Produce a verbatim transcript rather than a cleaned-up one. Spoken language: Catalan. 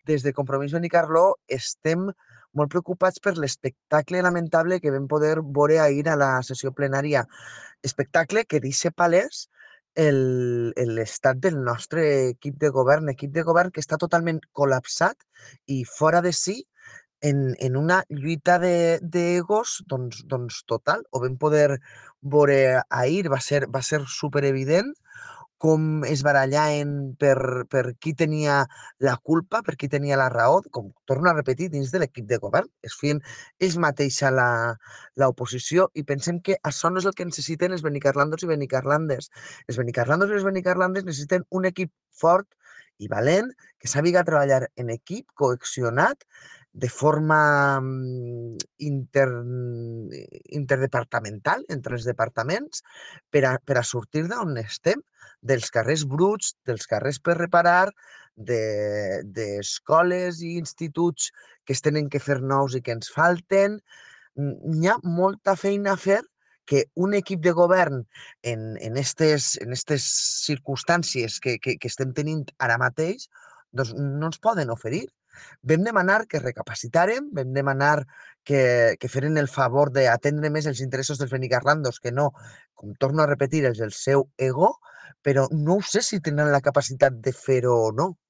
Des de Compromís Benicarló estem molt preocupats per l'espectacle lamentable que vam poder veure ahir a la sessió plenària. Espectacle que deixa palès el- l'estat del nostre equip de govern, equip de govern que està totalment col·lapsat i fora de si en, en una lluita de- d'egos doncs, doncs total. Ho vam poder veure ahir, va ser, va ser superevident com es barallaven per, per qui tenia la culpa, per qui tenia la raó, com torno a repetir, dins de l'equip de govern. Es feien ells mateixa la- l'oposició i pensem que això no és el que necessiten els benicarlandos i benicarlandes. Els benicarlandos i les benicarlandes necessiten un equip fort i valent, que sàpiga treballar en equip, cohesionat, de forma mm, inter, interdepartamental entre els departaments per a, per a sortir d'on estem, dels carrers bruts, dels carrers per reparar, de- d'escoles i instituts que es tenen que fer nous i que ens falten. Mm, Hi ha molta feina a fer que un equip de govern en, en estes, en estes circumstàncies que, que, que estem tenint ara mateix doncs no ens poden oferir. Vam demanar que recapacitàrem, vam demanar que, que feren el favor d'atendre més els interessos dels benicarlandos que no, com torno a repetir, els del seu ego, però no ho sé si tenen la capacitat de fer-ho o no.